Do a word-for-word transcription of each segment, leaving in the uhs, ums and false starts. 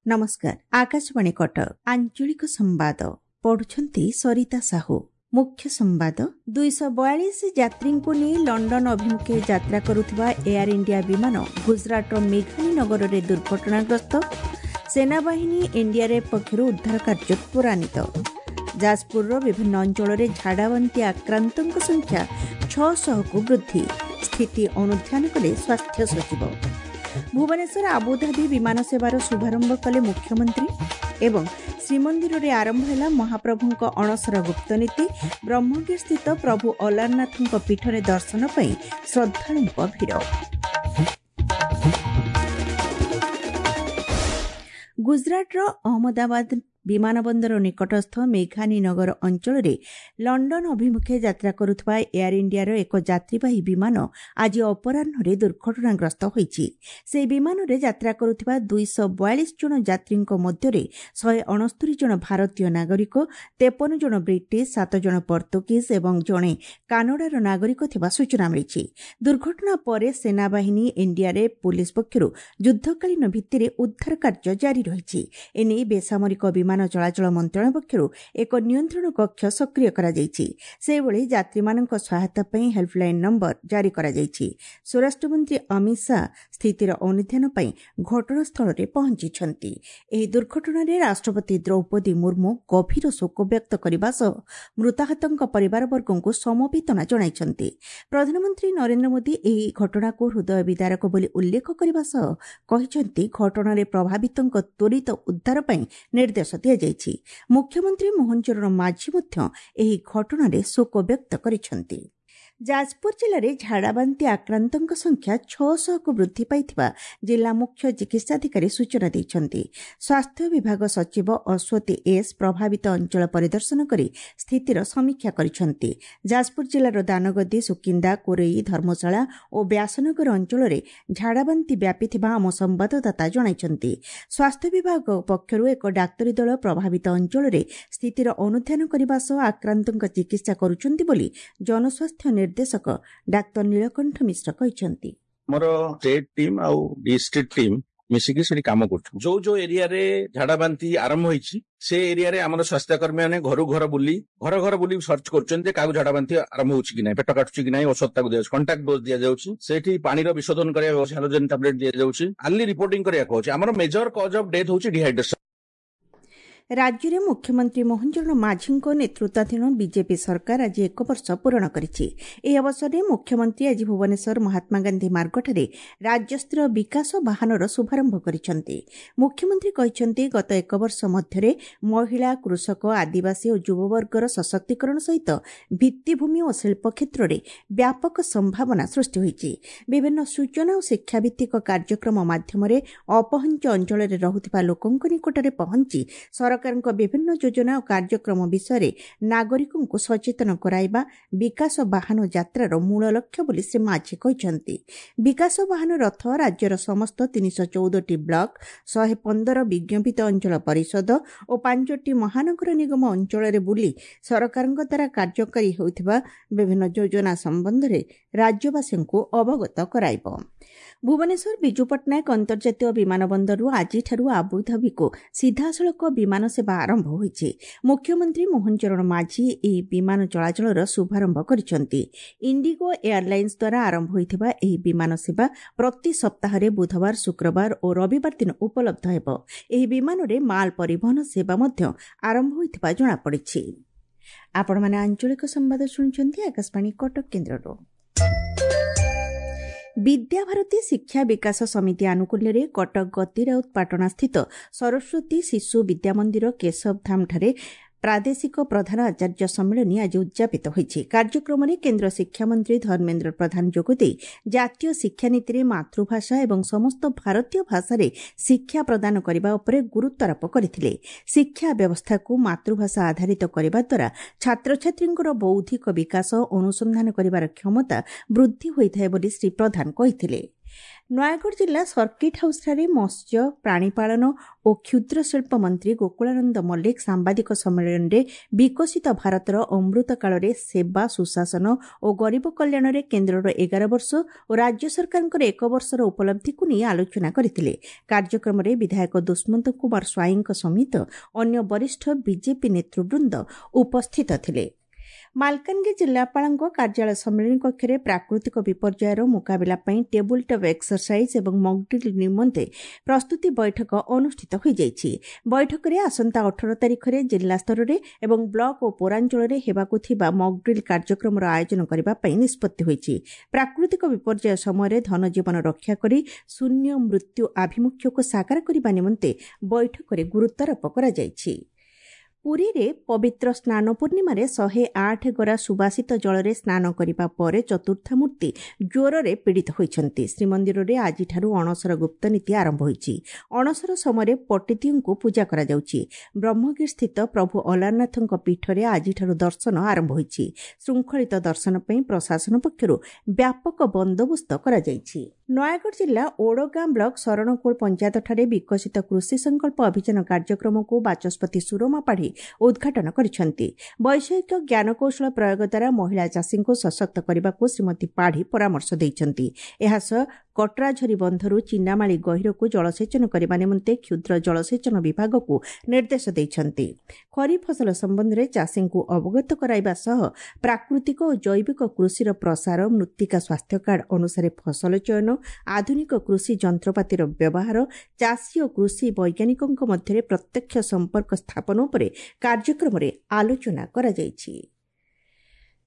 ନମସ୍କାର, ଆକାଶବାଣୀ କଟକ, ଆଞ୍ଚଳିକ ସମ୍ବାଦ ପଢୁଛନ୍ତି ସରିତା ସାହୁ। ମୁଖ୍ୟ ସମ୍ବାଦ। ଦୁଇଶହ ବୟାଳିଶ ଯାତ୍ରୀଙ୍କୁ ନେଇ ଲଣ୍ଡନ ଅଭିମୁଖେ ଯାତ୍ରା କରୁଥିବା ଏୟାର ଇଣ୍ଡିଆ ବିମାନ ଗୁଜରାଟର ମେଘାନୀ ନଗରରେ ଦୁର୍ଘଟଣାଗ୍ରସ୍ତ। ସେନାବାହିନୀ, ଏନ୍ଡିଆର୍ଏଫ୍ ପକ୍ଷରୁ ଉଦ୍ଧାର କାର୍ଯ୍ୟ ତ୍ୱରାନ୍ୱିତ। ଯାଜପୁରର ବିଭିନ୍ନ ଅଞ୍ଚଳରେ ଝାଡ଼ାବାନ୍ତି ଆକ୍ରାନ୍ତଙ୍କ ସଂଖ୍ୟା ଛଅଶହକୁ ବୃଦ୍ଧି, ସ୍ଥିତି ଅନୁଧ୍ୟାନ କଲେ ସ୍ୱାସ୍ଥ୍ୟ ସଚିବ। ଭୁବନେଶ୍ୱର ଆବୁଧାବି ବିମାନ ସେବାର ଶୁଭାରମ୍ଭ କଲେ ମୁଖ୍ୟମନ୍ତ୍ରୀ। ଏବଂ ଶ୍ରୀମନ୍ଦିରରେ ଆରମ୍ଭ ହେଲା ମହାପ୍ରଭୁଙ୍କ ଅଣସର ଗୁପ୍ତନୀତି। ବ୍ରହ୍ମଗିରିସ୍ଥିତ ପ୍ରଭୁ ଅଲାରନାଥଙ୍କ ପୀଠରେ ଦର୍ଶନ ପାଇଁ ଶ୍ରଦ୍ଧାଳୁଙ୍କ ଭିଡ଼। ଗୁଜରାଟର ଅହମ୍ମଦାବାଦ ବିମାନବନ୍ଦର ନିକଟସ୍ଥ ମେଘାନୀ ନଗର ଅଞ୍ଚଳରେ ଲଣ୍ଡନ ଅଭିମୁଖେ ଯାତ୍ରା କରୁଥିବା ଏୟାର ଇଣ୍ଡିଆର ଏକ ଯାତ୍ରୀବାହୀ ବିମାନ ଆଜି ଅପରାହ୍ନରେ ଦୁର୍ଘଟଣାଗ୍ରସ୍ତ ହୋଇଛି। ସେହି ବିମାନରେ ଯାତ୍ରା କରୁଥିବା ଦୁଇଶହ ବୟାଳିଶ ଜଣ ଯାତ୍ରୀଙ୍କ ମଧ୍ୟରେ ଶହେ ଅଣସ୍ତରି ଜଣ ଭାରତୀୟ ନାଗରିକ, ତେପନ ଜଣ ବ୍ରିଟିଶ, ସାତ ଜଣ ପର୍ତ୍ତୁଗୀଜ ଏବଂ ଜଣେ କାନାଡାର ନାଗରିକ ଥିବା ସୂଚନା ମିଳିଛି। ଦୁର୍ଘଟଣା ପରେ ସେନାବାହିନୀ, ଏନ୍ଡିଆର୍ଏଫ୍, ପୁଲିସ୍ ପକ୍ଷରୁ ଯୁଦ୍ଧକାଳୀନ ଭିତ୍ତିରେ ଉଦ୍ଧାର କାର୍ଯ୍ୟ ଜାରି ରହିଛି। ଏନେଇ ବେସାମରିକ ବିମାନ ଚଳାଚଳ ମନ୍ତ୍ରଣାଳୟ ପକ୍ଷରୁ ଏକ ନିୟନ୍ତ୍ରଣ କକ୍ଷ ସକ୍ରିୟ କରାଯାଇଛି। ସେହିଭଳି ଯାତ୍ରୀମାନଙ୍କ ସହାୟତା ପାଇଁ ହେଲ୍ପଲାଇନ୍ ନମ୍ବର ଜାରି କରାଯାଇଛି। ସ୍ୱରାଷ୍ଟ୍ରମନ୍ତ୍ରୀ ଅମିତ ଶାହା ସ୍ଥିତିର ଅନୁଧ୍ୟାନ ପାଇଁ ଘଟଣାସ୍ଥଳରେ ପହଞ୍ଚିଛନ୍ତି। ଏହି ଦୁର୍ଘଟଣାରେ ରାଷ୍ଟ୍ରପତି ଦ୍ରୌପଦୀ ମୁର୍ମୁ ଗଭୀର ଶୋକ ବ୍ୟକ୍ତ କରିବା ସହ ମୃତାହତଙ୍କ ପରିବାରବର୍ଗଙ୍କୁ ସମବେଦନା ଜଣାଇଛନ୍ତି। ପ୍ରଧାନମନ୍ତ୍ରୀ ନରେନ୍ଦ୍ର ମୋଦି ଏହି ଘଟଣାକୁ ହୃଦୟ ବିଦାରକ ବୋଲି ଉଲ୍ଲେଖ କରିବା ସହ କହିଛନ୍ତି, ଘଟଣାରେ ପ୍ରଭାବିତଙ୍କ ତ୍ୱରିତ ଉଦ୍ଧାର ପାଇଁ ନିର୍ଦ୍ଦେଶ ଦିଆଯାଇଛି। ମୁଖ୍ୟମନ୍ତ୍ରୀ ମୋହନ ଚରଣ ମାଝୀ ମଧ୍ୟ ଏହି ଘଟଣାରେ ଶୋକ ବ୍ୟକ୍ତ କରିଛନ୍ତି। ଯାଜପୁର ଜିଲ୍ଲାରେ ଝାଡ଼ାବାନ୍ତି ଆକ୍ରାନ୍ତଙ୍କ ସଂଖ୍ୟା ଛଅଶହକୁ ବୃଦ୍ଧି ପାଇଥିବା ଜିଲ୍ଲା ମୁଖ୍ୟ ଚିକିତ୍ସାଧିକାରୀ ସୂଚନା ଦେଇଛନ୍ତି। ସ୍ୱାସ୍ଥ୍ୟ ବିଭାଗ ସଚିବ ଅଶ୍ୱତୀ ଏସ୍ ପ୍ରଭାବିତ ଅଞ୍ଚଳ ପରିଦର୍ଶନ କରି ସ୍ଥିତିର ସମୀକ୍ଷା କରିଛନ୍ତି। ଯାଜପୁର ଜିଲ୍ଲାର ଦାନଗଦି, ସୁକିନ୍ଦା, କୋରେଇ, ଧର୍ମଶାଳା ଓ ବ୍ୟାସନଗର ଅଞ୍ଚଳରେ ଝାଡ଼ାବାନ୍ତି ବ୍ୟାପିଥିବା ଆମ ସମ୍ବାଦଦାତା ଜଣାଇଛନ୍ତି। ସ୍ୱାସ୍ଥ୍ୟ ବିଭାଗ ପକ୍ଷରୁ ଏକ ଡାକ୍ତରୀ ଦଳ ପ୍ରଭାବିତ ଅଞ୍ଚଳରେ ସ୍ଥିତିର ଅନୁଧ୍ୟାନ କରିବା ସହ ଆକ୍ରାନ୍ତଙ୍କ ଚିକିତ୍ସା କରୁଛନ୍ତି ବୋଲି ଜନସ୍ୱାସ୍ଥ୍ୟ ନିର୍ଦ୍ଦେଶକ ଡାକ୍ତର ନୀଳକଣ୍ଠ ମିଶ୍ର କହିଛନ୍ତି। ଆମର ଷ୍ଟେଟ୍ ଟିମ୍ ଆଉ ଡିଷ୍ଟ୍ରିକ୍ଟ ଟିମ୍ ମିଶିକି ସେଠି କାମ କରୁଛୁ। ଯୋଉ ଯୋଉ ଏରିଆରେ ଝାଡା ବାନ୍ତି ଆରମ୍ଭ ହେଇଛି, ସେ ଏରିଆରେ ଆମର ସ୍ୱାସ୍ଥ୍ୟକର୍ମୀ ମାନେ ଘରୁ ଘର ବୁଲି, ଘର ଘର ବୁଲି ସର୍ଚ୍ଚ କରୁଛନ୍ତି ଯେ କାହାକୁ ଝାଡା ବାନ୍ତି ଆରମ୍ଭ ହଉଛି କି ନାହିଁ, ପେଟ କାଟୁଛି କି ନାହିଁ। ଔଷଧ ତାକୁ ଦିଆଯାଉଛି, କଣ୍ଟାକ୍ଟ ଡୋଜ ଦିଆଯାଉଛି। ସେଠି ପାଣିର ବିଶୋଧନ କରିବା ହାଲୋଜେନ ଟାବଲେଟ ଦିଆଯାଉଛି। ଆର୍ଲି ରିପୋର୍ଟିଂ କରିବାକୁ ହଉଛି। ଆମର ମେଜର କଜ ଅଫ ଡେଥ୍ ହଉଛି ଡିହାଇଡ୍ରେସନ। ରାଜ୍ୟରେ ମୁଖ୍ୟମନ୍ତ୍ରୀ ମୋହନ ଚରଣ ମାଝୀଙ୍କ ନେତୃତ୍ୱାଧୀନ ବିଜେପି ସରକାର ଆଜି ଏକ ବର୍ଷ ପୂରଣ କରିଛି। ଏହି ଅବସରରେ ମୁଖ୍ୟମନ୍ତ୍ରୀ ଆଜି ଭୁବନେଶ୍ୱର ମହାତ୍ମାଗାନ୍ଧୀ ମାର୍ଗଠାରେ ରାଜ୍ୟସ୍ତରୀୟ ବିକାଶ ବାହନର ଶୁଭାରମ୍ଭ କରିଛନ୍ତି। ମୁଖ୍ୟମନ୍ତ୍ରୀ କହିଛନ୍ତି, ଗତ ଏକ ବର୍ଷ ମଧ୍ୟରେ ମହିଳା, କୃଷକ, ଆଦିବାସୀ ଓ ଯୁବବର୍ଗର ସଶକ୍ତିକରଣ ସହିତ ଭିତ୍ତିଭୂମି ଓ ଶିଳ୍ପ କ୍ଷେତ୍ରରେ ବ୍ୟାପକ ସମ୍ଭାବନା ସୃଷ୍ଟି ହୋଇଛି। ବିଭିନ୍ନ ସୂଚନା ଓ ଶିକ୍ଷାଭିତ୍ତିକ କାର୍ଯ୍ୟକ୍ରମ ମାଧ୍ୟମରେ ଅପହଞ୍ଚ ଅଞ୍ଚଳରେ ରହୁଥିବା ଲୋକଙ୍କ ନିକଟରେ ପହଞ୍ଚି ସରକାରଙ୍କ ବିଭିନ୍ନ ଯୋଜନା ଓ କାର୍ଯ୍ୟକ୍ରମ ବିଷୟରେ ନାଗରିକଙ୍କୁ ସଚେତନ କରାଇବା ବିକାଶ ବାହନ ଯାତ୍ରାର ମୂଳ ଲକ୍ଷ୍ୟ ବୋଲି ଶ୍ରୀ ମାଝୀ କହିଛନ୍ତି। ବିକାଶ ବାହନ ରଥ ରାଜ୍ୟର ସମସ୍ତ ତିନିଶହ ଚଉଦଟି ବ୍ଲକ, ଶହେ ପନ୍ଦର ବିଜ୍ଞପିତ ଅଞ୍ଚଳ ପରିଷଦ ଓ ପାଞ୍ଚଟି ମହାନଗର ନିଗମ ଅଞ୍ଚଳରେ ବୁଲି ସରକାରଙ୍କ ଦ୍ୱାରା କାର୍ଯ୍ୟକାରୀ ହେଉଥିବା ବିଭିନ୍ନ ଯୋଜନା ସମ୍ବନ୍ଧରେ ରାଜ୍ୟବାସୀଙ୍କୁ ଅବଗତ କରାଇବ। ଭୁବନେଶ୍ୱର ବିଜୁ ପଟ୍ଟନାୟକ ଅନ୍ତର୍ଜାତୀୟ ବିମାନ ବନ୍ଦରରୁ ଆଜିଠାରୁ ଆବୁଧାବିକୁ ସିଧାସଳଖ ବିମାନ ସେବା ଆରମ୍ଭ ହୋଇଛି। ମୁଖ୍ୟମନ୍ତ୍ରୀ ମୋହନ ଚରଣ ମାଝୀ ଏହି ବିମାନ ଚଳାଚଳର ଶୁଭାରମ୍ଭ କରିଛନ୍ତି। ଇଣ୍ଡିଗୋ ଏୟାରଲାଇନ୍ସ ଦ୍ୱାରା ଆରମ୍ଭ ହୋଇଥିବା ଏହି ବିମାନ ସେବା ପ୍ରତି ସପ୍ତାହରେ ବୁଧବାର, ଶୁକ୍ରବାର ଓ ରବିବାର ଦିନ ଉପଲବ୍ଧ ହେବ। ଏହି ବିମାନରେ ମାଲ ପରିବହନ ସେବା ମଧ୍ୟ ଆରମ୍ଭ ହୋଇଥିବା ଜଣାପଡ଼ିଛି। ଆପଣମାନେ ଆଞ୍ଚଳିକ ସମ୍ବାଦ ଶୁଣୁଛନ୍ତି ଆକାଶବାଣୀ କଟକ କେନ୍ଦ୍ରରୁ। ବିଦ୍ୟାଭାରତୀ ଶିକ୍ଷା ବିକାଶ ସମିତି ଆନୁକୂଲ୍ୟରେ କଟକ ଗତିରାଉତ ପାଟଣାସ୍ଥିତ ସରସ୍ୱତୀ ଶିଶୁ ବିଦ୍ୟାମନ୍ଦିର କେଶବଧାମଠାରେ ପ୍ରାଦେଶିକ ପ୍ରଧାନ ଆଚାର୍ଯ୍ୟ ସମ୍ମିଳନୀ ଆଜି ଉଦ୍ଯାପିତ ହୋଇଛି। କାର୍ଯ୍ୟକ୍ରମରେ କେନ୍ଦ୍ର ଶିକ୍ଷାମନ୍ତ୍ରୀ ଧର୍ମେନ୍ଦ୍ର ପ୍ରଧାନ ଯୋଗଦେଇ ଜାତୀୟ ଶିକ୍ଷାନୀତିରେ ମାତୃଭାଷା ଏବଂ ସମସ୍ତ ଭାରତୀୟ ଭାଷାରେ ଶିକ୍ଷା ପ୍ରଦାନ କରିବା ଉପରେ ଗୁରୁତ୍ୱାରୋପ କରିଥିଲେ। ଶିକ୍ଷା ବ୍ୟବସ୍ଥାକୁ ମାତୃଭାଷା ଆଧାରିତ କରିବା ଦ୍ୱାରା ଛାତ୍ରଛାତ୍ରୀଙ୍କର ବୌଦ୍ଧିକ ବିକାଶ, ଅନୁସନ୍ଧାନ କରିବାର କ୍ଷମତା ବୃଦ୍ଧି ହୋଇଥାଏ ବୋଲି ଶ୍ରୀ ପ୍ରଧାନ କହିଥିଲେ। ନୟାଗଡ଼ ଜିଲ୍ଲା ସର୍କିଟ୍ ହାଉସ୍ଠାରେ ମତ୍ସ୍ୟ, ପ୍ରାଣୀପାଳନ ଓ କ୍ଷୁଦ୍ର ଶିଳ୍ପ ମନ୍ତ୍ରୀ ଗୋକୁଳାନନ୍ଦ ମଲ୍ଲିକ ସାମ୍ବାଦିକ ସମ୍ମିଳନୀରେ ବିକଶିତ ଭାରତର ଅମୃତ କାଳରେ ସେବା, ସୁଶାସନ ଓ ଗରିବ କଲ୍ୟାଣରେ କେନ୍ଦ୍ରର ଏଗାର ବର୍ଷ ଓ ରାଜ୍ୟ ସରକାରଙ୍କର ଏକ ବର୍ଷର ଉପଲବ୍ଧିକୁ ନେଇ ଆଲୋଚନା କରିଥିଲେ। କାର୍ଯ୍ୟକ୍ରମରେ ବିଧାୟକ ଦୁଷ୍ମନ୍ତ କୁମାର ସ୍ୱାଇଁଙ୍କ ସମେତ ଅନ୍ୟ ବରିଷ୍ଠ ବିଜେପି ନେତୃବୃନ୍ଦ ଉପସ୍ଥିତ ଥିଲେ। ମାଲକାନଗିରି ଜିଲ୍ଲାପାଳଙ୍କ କାର୍ଯ୍ୟାଳୟ ସମ୍ମିଳନୀ କକ୍ଷରେ ପ୍ରାକୃତିକ ବିପର୍ଯ୍ୟୟର ମୁକାବିଲା ପାଇଁ ଟେବୁଲ୍ ଟପ୍ ଏକ୍ସରସାଇଜ୍ ଏବଂ ମକ୍ଡ୍ରିଲ୍ ନିମନ୍ତେ ପ୍ରସ୍ତୁତି ବୈଠକ ଅନୁଷ୍ଠିତ ହୋଇଯାଇଛି। ବୈଠକରେ ଆସନ୍ତା ଅଠର ତାରିଖରେ ଜିଲ୍ଲା ସ୍ତରରେ ଏବଂ ବ୍ଲକ ଓ ପୌରାଞ୍ଚଳରେ ହେବାକୁ ଥିବା ମକ୍ଡ୍ରିଲ୍ କାର୍ଯ୍ୟକ୍ରମର ଆୟୋଜନ କରିବା ପାଇଁ ନିଷ୍ପତ୍ତି ହୋଇଛି। ପ୍ରାକୃତିକ ବିପର୍ଯ୍ୟୟ ସମୟରେ ଧନଜୀବନ ରକ୍ଷା କରି ଶୂନ୍ୟ ମୃତ୍ୟୁ ଆଭିମୁଖ୍ୟକୁ ସାକାର କରିବା ନିମନ୍ତେ ବୈଠକରେ ଗୁରୁତ୍ୱାରୋପ କରାଯାଇଛି। ପୁରୀରେ ପବିତ୍ର ସ୍ନାନ ପୂର୍ଣ୍ଣିମାରେ ଶହେ ଆଠ ଗରା ସୁବାସିତ ଜଳରେ ସ୍ନାନ କରିବା ପରେ ଚତୁର୍ଦ୍ଧାମୂର୍ତ୍ତି ଜ୍ୱରରେ ପୀଡ଼ିତ ହୋଇଛନ୍ତି। ଶ୍ରୀମନ୍ଦିରରେ ଆଜିଠାରୁ ଅଣସର ଗୁପ୍ତ ନୀତି ଆରମ୍ଭ ହୋଇଛି। ଅଣସର ସମୟରେ ପଟିଦିଅଁଙ୍କୁ ପୂଜା କରାଯାଉଛି। ବ୍ରହ୍ମଗିରିସ୍ଥିତ ପ୍ରଭୁ ଅଲାରନାଥଙ୍କ ପୀଠରେ ଆଜିଠାରୁ ଦର୍ଶନ ଆରମ୍ଭ ହୋଇଛି। ଶୃଙ୍ଖଳିତ ଦର୍ଶନ ପାଇଁ ପ୍ରଶାସନ ପକ୍ଷରୁ ବ୍ୟାପକ ବନ୍ଦୋବସ୍ତ କରାଯାଇଛି। ନୟାଗଡ଼ ଜିଲ୍ଲା ଓଡ଼ଗାଁ ବ୍ଲକ ଶରଣକୁଳ ପଞ୍ଚାୟତଠାରେ ବିକଶିତ କୃଷି ସଂକଳ୍ପ ଅଭିଯାନ କାର୍ଯ୍ୟକ୍ରମକୁ ବାଚସ୍ପତି ସୁରମା ପାଢ଼ୀ ଉଦ୍ଘାଟନ କରିଛନ୍ତି। ବୈଷୟିକ ଜ୍ଞାନକୌଶଳ ପ୍ରୟୋଗ ଦ୍ୱାରା ମହିଳା ଚାଷୀଙ୍କୁ ସଶକ୍ତ କରିବାକୁ ଶ୍ରୀମତୀ ପାଢ଼ୀ ପରାମର୍ଶ ଦେଇଛନ୍ତି। ଏହାସହ କଟରାଝରି ବନ୍ଧରୁ ଚିନାମାଳି ଗହୀରକୁ ଜଳସେଚନ କରିବା ନିମନ୍ତେ କ୍ଷୁଦ୍ର ଜଳସେଚନ ବିଭାଗକୁ ନିର୍ଦ୍ଦେଶ ଦେଇଛନ୍ତି। ଖରିଫ ଫସଲ ସମ୍ବନ୍ଧରେ ଚାଷୀଙ୍କୁ ଅବଗତ କରାଇବା ସହ ପ୍ରାକୃତିକ ଓ ଜୈବିକ କୃଷିର ପ୍ରସାର, ମୃତ୍ତିକା ସ୍ୱାସ୍ଥ୍ୟ କାର୍ଡ ଅନୁସାରେ ଫସଲ ଚୟନ, ଆଧୁନିକ କୃଷି ଯନ୍ତ୍ରପାତିର ବ୍ୟବହାର, ଚାଷୀ ଓ କୃଷି ବୈଜ୍ଞାନିକଙ୍କ ମଧ୍ୟରେ ପ୍ରତ୍ୟକ୍ଷ ସମ୍ପର୍କ ସ୍ଥାପନ ଉପରେ କାର୍ଯ୍ୟକ୍ରମରେ ଆଲୋଚନା କରାଯାଇଛି।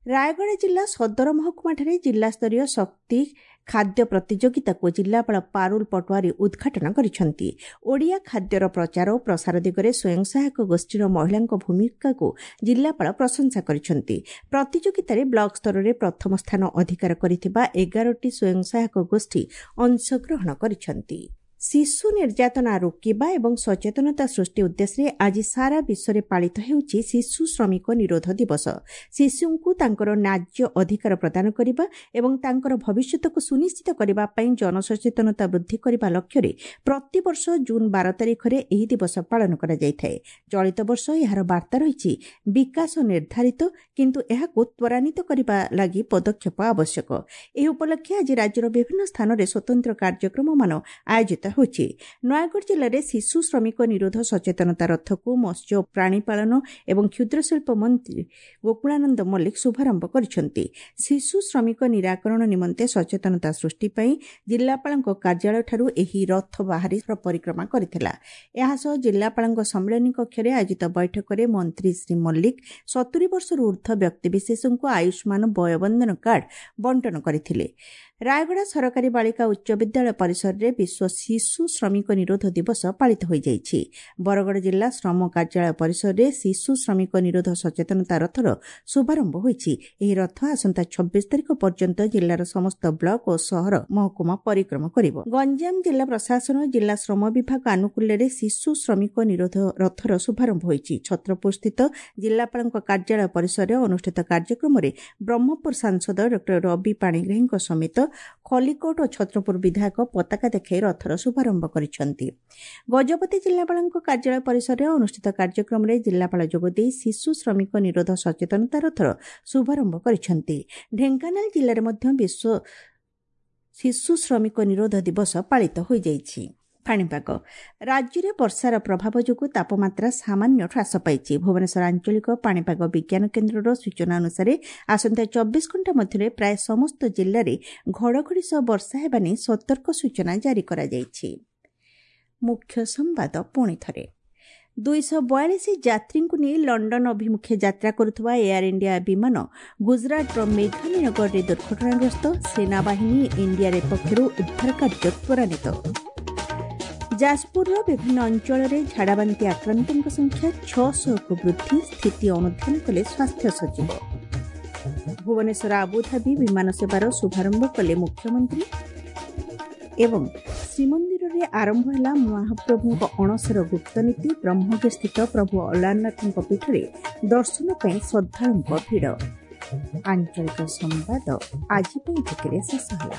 ରାୟଗଡ଼ା ଜିଲ୍ଲା ସଦର ମହକୁମାଠାରେ ଜିଲ୍ଲାସ୍ତରୀୟ ଶକ୍ତି ଖାଦ୍ୟ ପ୍ରତିଯୋଗିତାକୁ ଜିଲ୍ଲାପାଳ ପାରୁଲ ପଟୱାରୀ ଉଦ୍ଘାଟନ କରିଛନ୍ତି। ଓଡ଼ିଆ ଖାଦ୍ୟର ପ୍ରଚାର ଓ ପ୍ରସାର ଦିଗରେ ସ୍ୱୟଂ ସହାୟକ ଗୋଷ୍ଠୀର ମହିଳାଙ୍କ ଭୂମିକାକୁ ଜିଲ୍ଲାପାଳ ପ୍ରଶଂସା କରିଛନ୍ତି। ପ୍ରତିଯୋଗିତାରେ ବ୍ଲକ ସ୍ତରରେ ପ୍ରଥମ ସ୍ଥାନ ଅଧିକାର କରିଥିବା ଏଗାରଟି ସ୍ୱୟଂ ସହାୟକ ଗୋଷ୍ଠୀ ଅଂଶଗ୍ରହଣ କରିଛନ୍ତି। ଶିଶୁ ନିର୍ଯାତନା ରୋକିବା ଏବଂ ସଚେତନତା ସୃଷ୍ଟି ଉଦ୍ଦେଶ୍ୟରେ ଆଜି ସାରା ବିଶ୍ୱରେ ପାଳିତ ହେଉଛି ଶିଶୁ ଶ୍ରମିକ ନିରୋଧ ଦିବସ। ଶିଶୁଙ୍କୁ ତାଙ୍କର ନ୍ୟାଯ୍ୟ ଅଧିକାର ପ୍ରଦାନ କରିବା ଏବଂ ତାଙ୍କର ଭବିଷ୍ୟତକୁ ସୁନିଶ୍ଚିତ କରିବା ପାଇଁ ଜନସଚେତନତା ବୃଦ୍ଧି କରିବା ଲକ୍ଷ୍ୟରେ ପ୍ରତିବର୍ଷ ଜୁନ୍ ବାର ତାରିଖରେ ଏହି ଦିବସ ପାଳନ କରାଯାଇଥାଏ। ଚଳିତ ବର୍ଷ ଏହାର ବାର୍ତ୍ତା ରହିଛି ବିକାଶ ନିର୍ଦ୍ଧାରିତ, କିନ୍ତୁ ଏହାକୁ ତ୍ୱରାନ୍ୱିତ କରିବା ଲାଗି ପଦକ୍ଷେପ ଆବଶ୍ୟକ। ଏହି ଉପଲକ୍ଷେ ଆଜି ରାଜ୍ୟର ବିଭିନ୍ନ ସ୍ଥାନରେ ସ୍ୱତନ୍ତ୍ର କାର୍ଯ୍ୟକ୍ରମମାନ ଆୟୋଜିତ ହେଉଛି। ନୟାଗଡ଼ ଜିଲ୍ଲାରେ ଶିଶୁ ଶ୍ରମିକ ନିରୋଧ ସଚେତନତା ରଥକୁ ମତ୍ସ୍ୟ, ପ୍ରାଣୀପାଳନ ଏବଂ କ୍ଷୁଦ୍ରଶିଳ୍ପ ମନ୍ତ୍ରୀ ଗୋକୁଳାନନ୍ଦ ମଲ୍ଲିକ ଶୁଭାରମ୍ଭ କରିଛନ୍ତି। ଶିଶୁ ଶ୍ରମିକ ନିରାକରଣ ନିମନ୍ତେ ସଚେତନତା ସୃଷ୍ଟି ପାଇଁ ଜିଲ୍ଲାପାଳଙ୍କ କାର୍ଯ୍ୟାଳୟଠାରୁ ଏହି ରଥ ବାହାରି ପରିକ୍ରମା କରିଥିଲା। ଏହାସହ ଜିଲ୍ଲାପାଳଙ୍କ ସମ୍ମିଳନୀ କକ୍ଷରେ ଆୟୋଜିତ ବୈଠକରେ ମନ୍ତ୍ରୀ ଶ୍ରୀ ମଲ୍ଲିକ ସତୁରି ବର୍ଷରୁ ଊର୍ଦ୍ଧ୍ୱ ବ୍ୟକ୍ତିବିଶେଷଙ୍କୁ ଆୟୁଷ୍ମାନ ବୟବନ୍ଦନ କାର୍ଡ ବଣ୍ଟନ କରିଥିଲେ। ରାୟଗଡ଼ା ସରକାରୀ ବାଳିକା ଉଚ୍ଚ ବିଦ୍ୟାଳୟ ପରିସରରେ ବିଶ୍ୱ ଶିଶୁ ଶ୍ରମିକ ନିରୋଧ ଦିବସ ପାଳିତ ହୋଇଯାଇଛି। ବରଗଡ଼ ଜିଲ୍ଲା ଶ୍ରମ କାର୍ଯ୍ୟାଳୟ ପରିସରରେ ଶିଶୁ ଶ୍ରମିକ ନିରୋଧ ସଚେତନତା ରଥର ଶୁଭାରମ୍ଭ ହୋଇଛି। ଏହି ରଥ ଆସନ୍ତା ଛବିଶ ତାରିଖ ପର୍ଯ୍ୟନ୍ତ ଜିଲ୍ଲାର ସମସ୍ତ ବ୍ଲକ ଓ ସହର ମହକୁମା ପରିକ୍ରମା କରିବ। ଗଞ୍ଜାମ ଜିଲ୍ଲା ପ୍ରଶାସନ ଜିଲ୍ଲା ଶ୍ରମ ବିଭାଗ ଆନୁକୂଲ୍ୟରେ ଶିଶୁ ଶ୍ରମିକ ନିରୋଧ ରଥର ଶୁଭାରମ୍ଭ ହୋଇଛି। ଛତ୍ରପୁରସ୍ଥିତ ଜିଲ୍ଲାପାଳଙ୍କ କାର୍ଯ୍ୟାଳୟ ପରିସରରେ ଅନୁଷ୍ଠିତ କାର୍ଯ୍ୟକ୍ରମରେ ବ୍ରହ୍ମପୁର ସାଂସଦ ଡକ୍ଟର ରବି ପାଣିଗ୍ରାହୀଙ୍କ ସମେତ ଖଲିକୋଟ ଓ ଛତ୍ରପୁର ବିଧାୟକ ପତାକା ଦେଖାଇ ରଥର ଶୁଭାରମ୍ଭ କରିଛନ୍ତି। ଗଜପତି ଜିଲ୍ଲାପାଳଙ୍କ କାର୍ଯ୍ୟାଳୟ ପରିସରରେ ଅନୁଷ୍ଠିତ କାର୍ଯ୍ୟକ୍ରମରେ ଜିଲ୍ଲାପାଳ ଯୋଗଦେଇ ଶିଶୁ ଶ୍ରମିକ ନିରୋଧ ସଚେତନତା ରଥର ଶୁଭାରମ୍ଭ କରିଛନ୍ତି। ଢେଙ୍କାନାଳ ଜିଲ୍ଲାରେ ମଧ୍ୟ ବିଶ୍ୱ ଶିଶୁ ଶ୍ରମିକ ନିରୋଧ ଦିବସ ପାଳିତ ହୋଇଯାଇଛି। ପାଣିପାଗ ରାଜ୍ୟରେ ବର୍ଷାର ପ୍ରଭାବ ଯୋଗୁଁ ତାପମାତ୍ରା ସାମାନ୍ୟ ହ୍ରାସ ପାଇଛି। ଭୁବନେଶ୍ୱର ଆଞ୍ଚଳିକ ପାଣିପାଗ ବିଜ୍ଞାନ କେନ୍ଦ୍ରର ସୂଚନା ଅନୁସାରେ ଆସନ୍ତା ଚବିଶ ଘଣ୍ଟା ମଧ୍ୟରେ ପ୍ରାୟ ସମସ୍ତ ଜିଲ୍ଲାରେ ଘଡ଼ଘଡ଼ି ସହ ବର୍ଷା ହେବା ନେଇ ସତର୍କ ସୂଚନା ଜାରି କରାଯାଇଛି। ମୁଖ୍ୟ ସମ୍ବାଦ ପୁଣି ଥରେ ଦୁଇଶହ ବୟାଳିଶ ଯାତ୍ରୀଙ୍କୁ ନେଇ ଲଣ୍ଡନ ଅଭିମୁଖେ ଯାତ୍ରା କରୁଥିବା ଏୟାର ଇଣ୍ଡିଆ ବିମାନ ଗୁଜରାଟର ମେଘାନୀନଗରରେ ଦୁର୍ଘଟଣାଗ୍ରସ୍ତ। ସେନାବାହିନୀ ଏନ୍ଡିଆର୍ଏଫ୍ ପକ୍ଷରୁ ଉଦ୍ଧାର କାର୍ଯ୍ୟ ତ୍ୱରାନ୍ୱିତ। ଯାଜପୁରର ବିଭିନ୍ନ ଅଞ୍ଚଳରେ ଝାଡ଼ାବାନ୍ତି ଆକ୍ରାନ୍ତଙ୍କ ସଂଖ୍ୟା ଛଅଶହକୁ ବୃଦ୍ଧି, ସ୍ଥିତି ଅନୁଧ୍ୟାନ କଲେ ସ୍ୱାସ୍ଥ୍ୟ ସଚିବ। ଭୁବନେଶ୍ୱର ଆବୁଧାବି ବିମାନ ସେବାର ଶୁଭାରମ୍ଭ କଲେ ମୁଖ୍ୟମନ୍ତ୍ରୀ। ଏବଂ ଶ୍ରୀମନ୍ଦିରରେ ଆରମ୍ଭ ହେଲା ମହାପ୍ରଭୁଙ୍କ ଅଣସର ଗୁପ୍ତନୀତି। ବ୍ରହ୍ମଗିରିସ୍ଥିତ ପ୍ରଭୁ ଅଲାରନାଥଙ୍କ ପୀଠରେ ଦର୍ଶନ ପାଇଁ ଶ୍ରଦ୍ଧାଳୁଙ୍କ ଭିଡ଼। ଆଞ୍ଚଳିକ ସମ୍ବାଦ ଆଜି ପାଇଁ ଏତିକିରେ ଶେଷ ହେଲା।